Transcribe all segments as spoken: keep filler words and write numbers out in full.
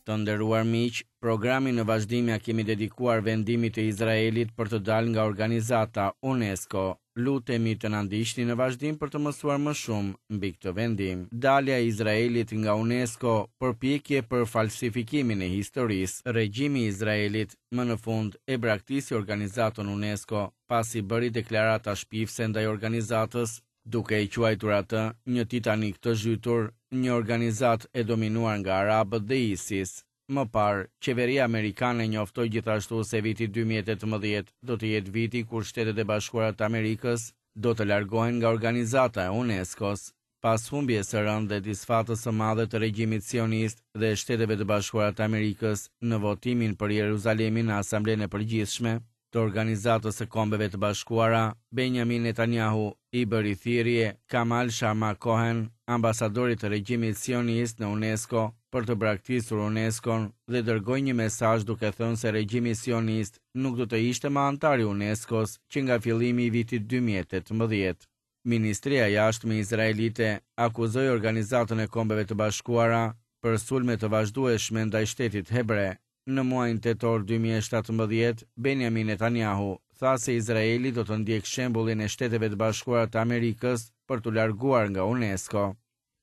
Të nderuar miq, programin në vazhdim ja kemi dedikuar vendimit të Izraelit për të dalë nga organizata UNESCO. Lutemi të na ndiqni në vazhdim për të mësuar më shumë mbi këtë vendim. Dalja e Izraelit nga UNESCO, përpjekje për falsifikimin e historisë. Regjimi i Izraelit më në fund e braktisi organizatën UNESCO pasi bëri deklarata shpifëse ndaj organizatës, duke e quajtur atë një Titanik të zhytur, një organizatë e dominuar nga arabët dhe ISIS. Më parë, qeveria amerikane njoftoi gjithashtu se viti dy mijë e tetëmbëdhjetë do të jetë viti kur Shtetet e Bashkuara të Amerikës do të largohen nga organizata e UNESCO-s. Pas humbjes së rëndë dhe disfatës së madhe të regjimit sionist dhe Shteteve të Bashkuara të Amerikës në votimin për Jeruzalemin në Asamblenë e Përgjithshme të Organizatës së Kombeve të Bashkuara, Benjamin Netanyahu i bëri thirrje Kamal Sharma Cohen, ambasadorit të regjimit sionist në UNESCO, për të braktisur UNESCO-n dhe dërgoi një mesazh duke thënë se regjimi sionist nuk do të ishte më anëtar i UNESCO-s që nga fillimi i vitit dy mijë e tetëmbëdhjetë. Ministria e Jashtme izraelite akuzoi Organizatën e Kombeve të Bashkuara për sulme të vazhdueshme ndaj shtetit hebre. Në muajin tetor dy mijë e shtatëmbëdhjetë, Benjamin Netanyahu tha se Izraeli do të ndjekë shembullin e Shteteve të Bashkuara të Amerikës për t'u larguar nga UNESCO.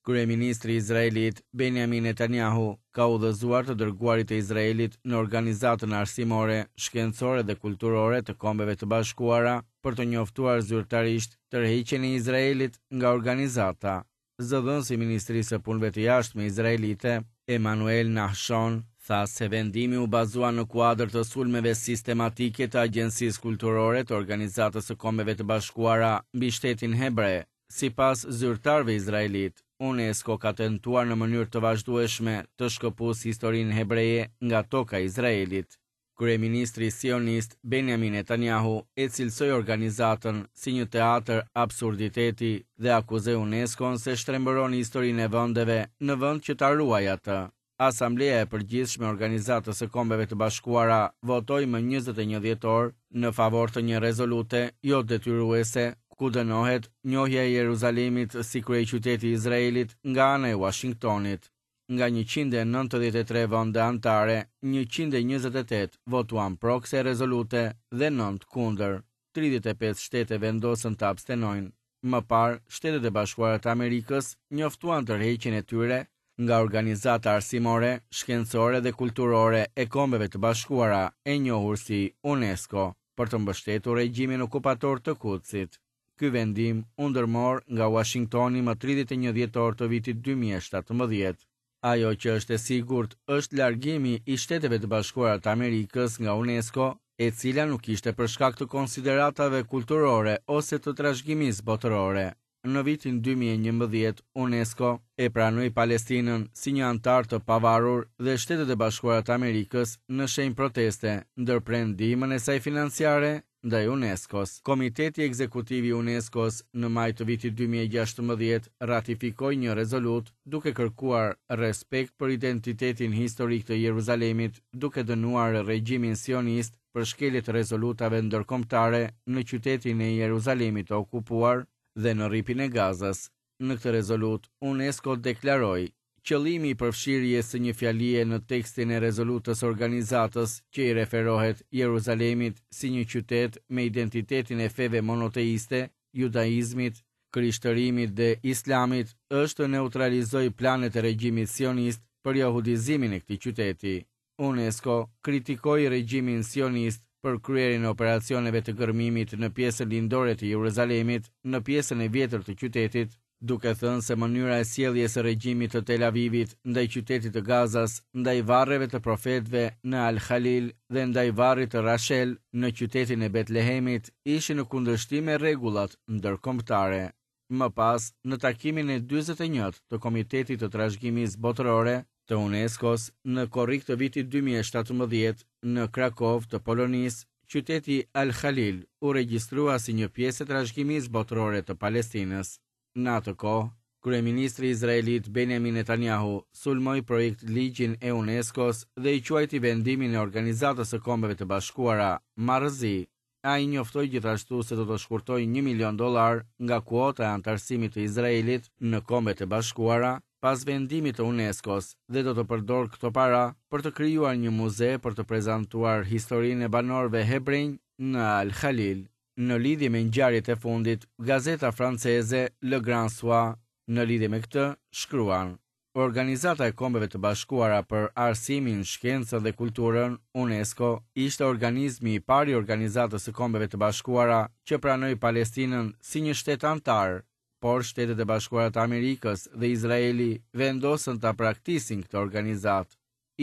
Kryeministri izraelit Benjamin Netanyahu ka udhëzuar të dërguarit e Izraelit në Organizatën Arsimore, Shkencore dhe Kulturore të Kombeve të Bashkuara për të njoftuar zyrtarisht tërheqjen e Izraelit nga organizata. Zëdhënësi i Ministrisë së Punëve të Jashtme izraelite, Emanuel Nahshon, tha se vendimi u bazua në kuadër të sulmeve sistematike të Agjencisë Kulturore të Organizatës së Kombeve të Bashkuara mbi shtetin hebre. Sipas zyrtarëve izraelit, UNESCO ka tentuar në mënyrë të vazhdueshme të shkëpusë historinë hebreje nga toka e Izraelit. Kryeministri sionist Benjamin Netanyahu e cilësoi organizatën si një teatr absurditeti dhe akuzoi UNESCO-n se shtrembëron historinë e vendeve në vend që ta ruajë atë. Asambleja e Përgjithshme e Organizatës së Kombeve të Bashkuara votoi më njëzet e një dhjetor në favor të një rezolute jo detyruese ku dënohet njohja e Jeruzalemit si kryeqyteti i Izraelit nga ana e Washingtonit. Nga njëqind e nëntëdhjetë e tre vende anëtare, njëqind e njëzet e tetë votuan pro kësaj rezolute dhe nëntë kundër. tridhjetë e pesë shtete vendosën të abstenojnë. Më parë, Shtetet e Bashkuara të Amerikës njoftuan tërheqjen e tyre nga Organizata Arsimore, Shkencore dhe Kulturore e Kombeve të Bashkuara, e njohur si UNESCO, për të mbështetur regjimin okupator të Kudsit. Ky vendim u ndërmor nga Washingtoni më tridhjetë e një dhjetor të vitit dy mijë e shtatëmbëdhjetë. Ajo që është e sigurt është largimi i Shteteve të Bashkuara të Amerikës nga UNESCO, e cila nuk ishte për shkak të konsideratave kulturore ose të trashëgimisë botërore. Në vitin dy mijë e njëmbëdhjetë, UNESCO e pranoi Palestinën si një anëtar të pavarur dhe Shtetet e Bashkuara të Amerikës në shenjë proteste ndërpren ndihmën e saj financiare ndaj UNESCO-s. Komiteti Ekzekutiv i UNESCO-s në maj të vitit dy mijë e gjashtëmbëdhjetë ratifikoi një rezolutë duke kërkuar respekt për identitetin historik të Jeruzalemit, duke dënuar regjimin sionist për shkelje të rezolutave ndërkombëtare në qytetin e Jeruzalemit të okupuar dhe në rripin e Gazës. Në këtë rezolutë, UNESCO deklaroi qëllimi i përfshirjes së një fjalie në tekstin e rezolutës organizatës që i referohet Jeruzalemit si një qytet me identitetin e feve monoteiste, judaizmit, krishtërimit dhe islamit, është të neutralizojë planet e regjimit sionist për jahudizimin e këtij qyteti. UNESCO kritikoi regjimin sionist për kryerjen e operacioneve të gërmimit në pjesën lindore të Jeruzalemit, në pjesën e vjetër të qytetit, duke thënë se mënyra e sjelljes së regjimit të Tel Avivit ndaj qytetit të Gazas, ndaj varreve të profetëve në Al-Khalil dhe ndaj varrit të Rachel në qytetin e Betlehemit ishin në kundërshtim me rregullat ndërkombëtare. Më pas, në takimin e dyzet e një të Komitetit të Trashëgimisë Botërore të UNESCO-s në korrik të vitit dy mijë e shtatëmbëdhjetë në Krakov të Polonisë, qyteti Al-Khalil u regjistrua si një pjesë e trashëgimisë botërore të Palestinës. Në atë kohë, kryeministri izraelit Benjamin Netanyahu sulmoi projekt ligjin e UNESCO-s dhe i quajti vendimin e Organizatës së Kombeve të Bashkuara marrëzi. Ai njoftoi gjithashtu se do të shkurtojë një milion dollar nga kuota e anëtarësimit të Izraelit në Kombet e Bashkuara pas vendimit të UNESCO-s dhe do të përdorë këto para për të krijuar një muze për të prezantuar historinë e banorëve hebrenj në Al-Khalil. Në lidhje me ngjarjet e fundit, gazeta franceze Le Grand Soir në lidhje me këtë shkruan: Organizata e Kombeve të Bashkuara për Arsimin, Shkencën dhe Kulturën, UNESCO, ishte organizmi i parë i Organizatës së Kombeve të Bashkuara që pranoi Palestinën si një shtet anëtar, por Shtetet e Bashkuara të Amerikës dhe Izraeli vendosën ta praktisin këtë organizatë.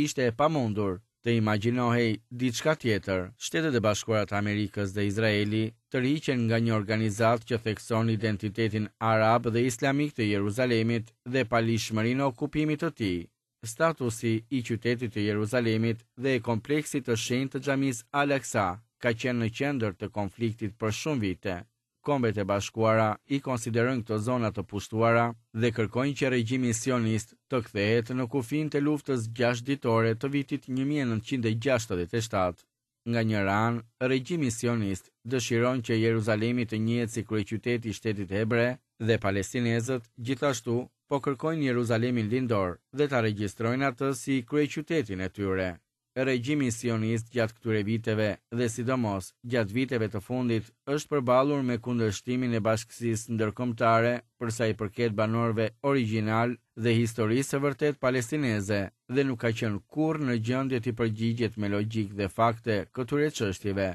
Ishte e pamundur të imagjinohej diçka tjetër. Shtetet e Bashkuara të Amerikës dhe Izraeli tërhiqen nga një organizatë që thekson identitetin arab dhe islamik të Jeruzalemit dhe paligjshmërinë e okupimit të tij. Statusi i qytetit të Jeruzalemit dhe e kompleksit të shenjtë të xhamisë Al-Aqsa ka qenë në qendër të konfliktit për shumë vite. Kombet e Bashkuara i konsiderojnë këto zona të pushtuara dhe kërkojnë që regjimi sionist të kthehet në kufinjtë e luftës gjashtë ditore të vitit një mijë e nëntëqind e gjashtëdhjetë e shtatë. Nga njëra anë, regjimi sionist dëshiron që Jeruzalemi të njihet si kryeqyteti i shtetit hebre dhe palestinezët gjithashtu po kërkojnë Jeruzalemin lindor dhe ta regjistrojnë atë si kryeqytetin e tyre. Regjimi sionist gjatë këtyre viteve dhe sidomos gjatë viteve të fundit është përballur me kundërshtimin e bashkësisë ndërkombëtare për sa i përket banorëve origjinal dhe historisë së vërtetë palestineze dhe nuk ka qenë kurrë në gjendje t'i përgjigjet me logjikë dhe fakte këtyre çështjeve.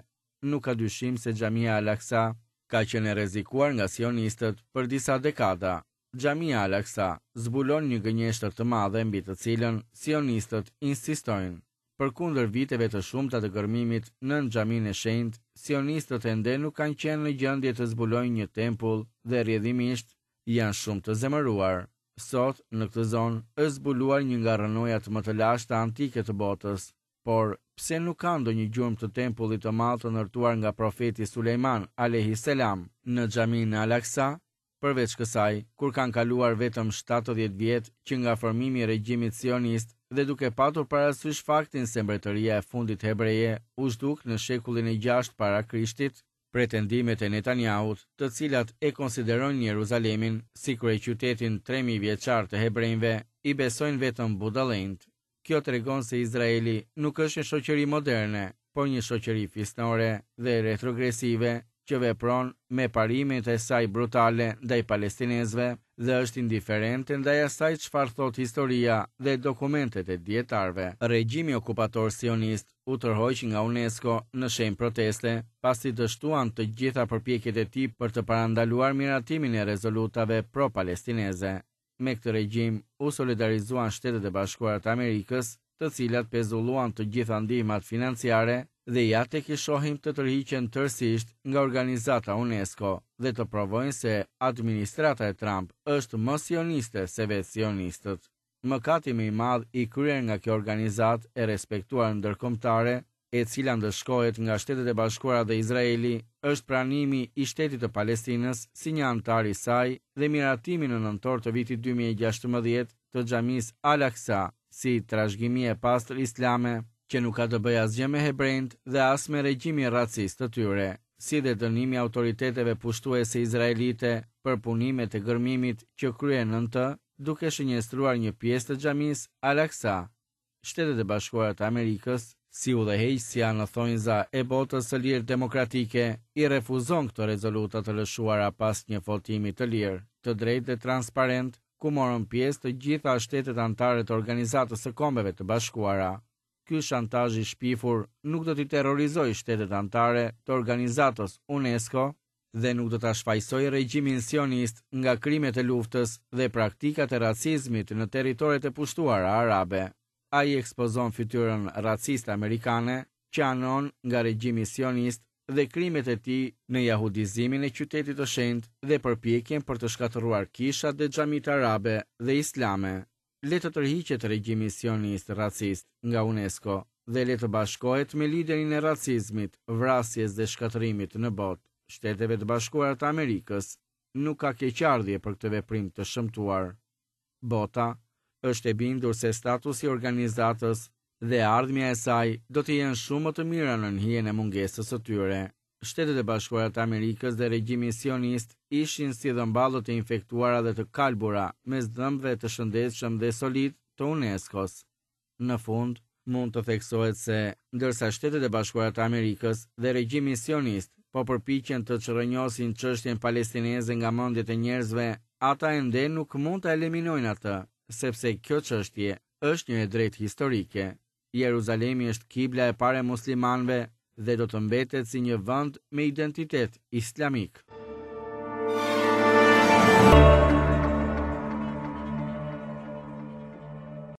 Nuk ka dyshim se xhamia Al-Aqsa ka qenë e rrezikuar nga sionistët për disa dekada. Xhamia Al-Aqsa zbulon një gënjeshtër të madhe mbi të cilën sionistët insistojnë. Përkundër viteve të shumta të gërmimit nën xhaminë e shenjtë, sionistët ende nuk kanë qenë në gjendje të zbulojnë një tempull dhe rrjedhimisht janë shumë të zemëruar. Sot, në këtë zonë, është zbuluar një nga rrënojat më të lashta antike të botës, por pse nuk ka ndonjë gjurmë të tempullit të madh të ndërtuar nga profeti Sulejman alayhi selam në xhaminë Al-Aqsa? Përveç kësaj, kur kanë kaluar vetëm shtatëdhjetë vjet që nga formimi i regjimit sionist dhe duke patur parasysh faktin se mbretëria e fundit hebreje u zhduk në shekullin e gjashtë para Krishtit, pretendimet e Netanyahut, të cilat e konsiderojnë Jeruzalemin si kryeqytetin tre mijë vjeçar të hebrejve, i besojnë vetëm budallenjt. Kjo tregon se Izraeli nuk është një shoqëri moderne, por një shoqëri fisnore dhe retrogresive që vepron me parimet e saj brutale ndaj palestinezëve dhe është indiferente ndaj asaj çfarë thot historia dhe dokumentet e dietarëve. Regjimi okupator sionist u tërhoq nga UNESCO në shenjë proteste, pasi dështuan të gjitha përpjekjet e tij për të parandaluar miratimin e rezolutave pro-palestineze. Me këtë regjim u solidarizuan Shtetet e Bashkuara të Amerikës, të cilat pezulluan të gjitha ndihmat financiare dhe ja tek i shohim të tërhiqen tërësisht nga organizata UNESCO dhe të provojnë se administrata e Trump është më sioniste se vetë sionistët. Mëkati më i madh i kryer nga kjo organizatë e respektuar ndërkombëtare, e cila ndëshkohet nga Shtetet e Bashkuara dhe Izraeli, është pranimi i shtetit të Palestinës si një anëtar i saj dhe miratimi në nëntor të vitit dy mijë e gjashtëmbëdhjetë të xhamisë Al-Aqsa si trashëgimi e pastër islame, që nuk ka të bëjë asgjë me hebrejt dhe as me regjimin racist të tyre, si dhe dënimi i autoriteteve pushtuese izraelite për punimet e gërmimit që kryen nën të, duke shënjestruar një pjesë të xhamisë Al-Aqsa. Shtetet e Bashkuara të Amerikës, si udhëheqësia në thonjza e botës së lirë demokratike, i refuzon këto rezoluta të lëshuara pas një votimi të lirë, të drejtë dhe transparent, ku morën pjesë të gjitha shtetet anëtare të Organizatës së Kombeve të Bashkuara. Ky shantazh i shpifur nuk do t'i terrorizojë shtetet anëtare të organizatës UNESCO dhe nuk do ta shfajsojë regjimin sionist nga krimet e luftës dhe praktikat e racizmit në territoret e pushtuara arabe. Ai ekspozon fytyrën raciste amerikane që anon nga regjimi sionist dhe krimet e tij në jahudizimin e qytetit të shenjtë dhe përpjekjen për të shkatërruar kishat dhe xhamitë arabe dhe islame. Le të tërhiqet regjimi sionist racist nga UNESCO dhe le të bashkohet me liderin e racizmit, vrasjes dhe shkatërrimit në botë, Shteteve të Bashkuara të Amerikës. Nuk ka keqardhje për këtë veprim të shëmtuar. Bota është e bindur se statusi i organizatës dhe ardhmja e saj do të jenë shumë më të mira nën hijen e mungesës së tyre. Shtetet e Bashkuara të Amerikës dhe regjimi sionist ishin si dhëmballët e infektuara dhe të kalbura mes dhëmbëve të shëndetshëm dhe solid të UNESCO-s. Në fund, mund të theksohet se, ndërsa Shtetet e Bashkuara të Amerikës dhe regjimi sionist po përpiqen të çrrënjosin çështjen palestineze nga mendjet e njerëzve, ata ende nuk mund ta eliminojnë atë, sepse kjo çështje është një e drejtë historike. Jeruzalemi është kibla e parë e muslimanëve dhe do të mbetet si një vend me identitet islamik.